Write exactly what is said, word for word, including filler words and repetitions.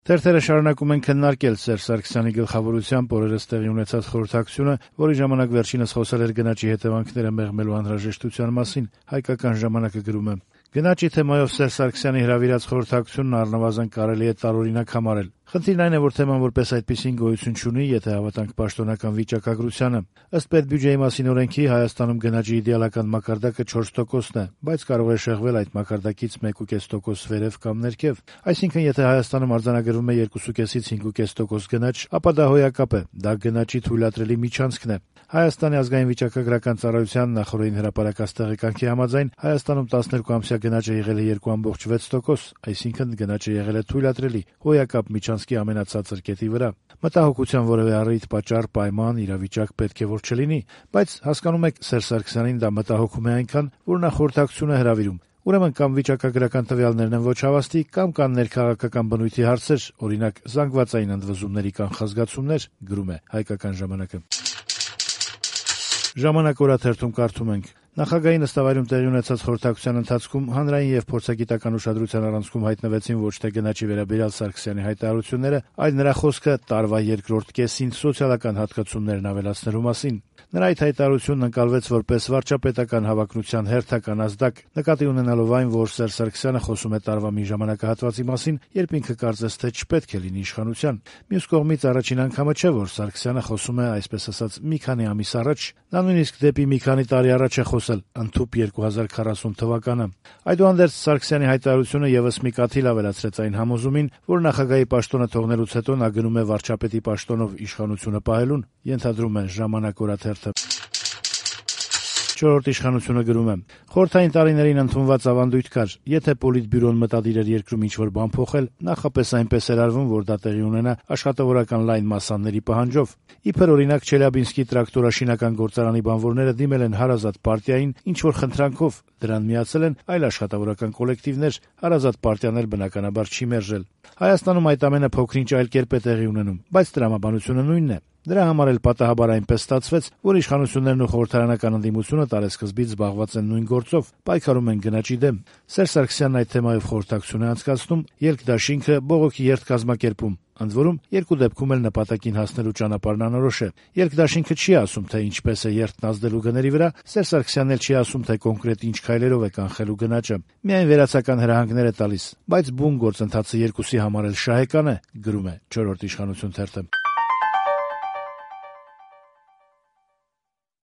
Թերթերը շարունակում են քննարկել Սերժ Սարգսյանի գլխավորությամբ օրերս տեղի ունեցած խորհրդակցությունը, որի ժամանակ վերջինս խոսել էր գնաճի հետևանքները մեղմելու անհրաժեշտության մասին։ Հայկական ժամանակը գրում է. Գնաճի թեմայով Սերժ Սարգսյանի հրավիրած խորհրդակցությունն առնվազն կարելի է տարօրինակ համարել։ Խնդիրն այն է, որ թեման որպես այդպիսին գոյություն չունի, եթե հավատանք պաշտոնական վիճակագրությանը։ Ըստ պետբյուջեի մասին օրենքի Հայաստանում գնաճի իդեալական մակարդակը չորս տոկոսն է, բայց կարող է շեղվել այդ մակարդակից մեկ կόμμα պենս տոկոս վերև կամ ներքև։ Այսինքն, եթե Հայաստանում արձանագրվում է երկու կόμma պենսից հինգ կόμma պենս տոկոս գնաճ, ապա դա հոյակապ է, դա գնաճի թույլատրելի միջանցքն է։ Հայաստանի ազգային վիճակագրական ծառայության նախորդին հրապարակած տեղեկանքի համաձայն Հայաստանում տասներկու ամսյա գնաճը եղել է երկու կόμma վեց տոկոս, այսինքն գնաճը եղել է թույլատրելի, հոյակապ միջանցքի ամենացածր կետի վրա։ Մտահոգության որևէ առիթ, պատճառ, պայման, իրավիճակ պետք է որ չլինի, բայց հասկանում եք, Սերժ Սարգսյանին դա մտահոգում է այնքան, որ նա խորհրդակցություն է հրավիրում։ Ուրեմն կամ վիճակագրական տվյալներն են ոչ հավաստի, կամ կան ներքաղաքական բնույթի հարցեր, օրինակ զանգվածային ընդվզումների կանխազգացումներ, գրում է Հայկական ժամանակը։ Ժամանակ օրաթերթում կարդում ենք. Նախագահի նստավայրում տեղի ունեցած խորհրդակցության ընթացքում հանրային եւ փորձագիտական ուշադրության առանցքում հայտնվեցին ոչ թե գնաճի վերաբերյալ Սարգսյանի հայտարարությունները, այլ նրա խոսքը տարվա երկրորդ կեսին սոցիալական հատկացումներն ավելացնելու մասին։ Նրա այդ հայտարարությունն ընկալվեց որպես վարչապետական հավակնության հերթական ազդակ, նկատի ունենալով այն, որ Սերժ Սարգսյանը խոսում է տարվա մի ժամանակահատվածի մասին, երբ ինքը կարծես թե չպետք է լինի իշխանության։ Մյուս կողմից առաջին անգամը չէ, որ Սարգսյանը խոսում է, այսպես ասած, մի քանի ամիս առաջ, նա նույնիսկ դեպի մի քանի տարի առաջ է խոսել, ընդհուպ երկու հազար քառասուն թվականը։ Այդուհանդերձ Սարգսյանի հայտարարությունը եւս մի կաթիլ ավելացրեց այն համոզումին, որ նախագահի պաշտոնը թողնելուց հետո նա գնում է վարչապետի պաշտոնով իշխանությունը պահելուն, ենթադրում է Ժամանակ օրաթերթը։ Չորրորդ իշխանությունը գրում է. Խորհրդային տարիներին ընդունված ավանդույթ կար, եթե Պոլիտբյուրոն մտադիր էր երկրում ինչ-որ բան փոխել, նախապես այնպես էր արվում, որ դա տեղի ունենա աշխատավորական լայն մասանների պահանջով։ Իբր օրինակ Չելյաբինսկի տրակտորաշինական գործարանի բանվորները դիմել են հարազատ պարտիային ինչ-որ խնդրանքով, դրան միացել են այլ աշխատավորական կոլեկտիվներ, հարազատ պարտիան էլ բնականաբար չի մերժել։ Հայաստանում այդ ամենը փոքրինչ այլ կերպ է տեղի ունենում, բայց տրամաբանությունը նույնն է։ Դրա համար էլ պատահաբար այնպես ստացվեց, որ իշխանություններն ու խորհրդարանական ընդդիմությունը տարեսկզբից զբաղված են նույն գործով, պայքարում են գնաճի դեմ։ Սերժ Սարգսյանն այդ թեմայով խորհրդակցություն է անցկացնում, ելքդաշինքը բողոքի երթ կազմակերպում։ Ընդ որում, երկու դեպքում էլ նպատակին հասնելու ճանապարհն անորոշ է։ Ելքդաշինքը չի ասում, թե ինչպես է երթն ազդելու գների վրա, Սերժ Սարգսյանն էլ չի ասում, թե կոնկրետ ինչ քայլերով է կանխելու գնաճը։ Միայն վերացական հրահանգներ է տալիս, բայց բուն գործընթացը երկուսի համար էլ շահեկան է, գրում է Չորրորդ իշխանություն թերթը։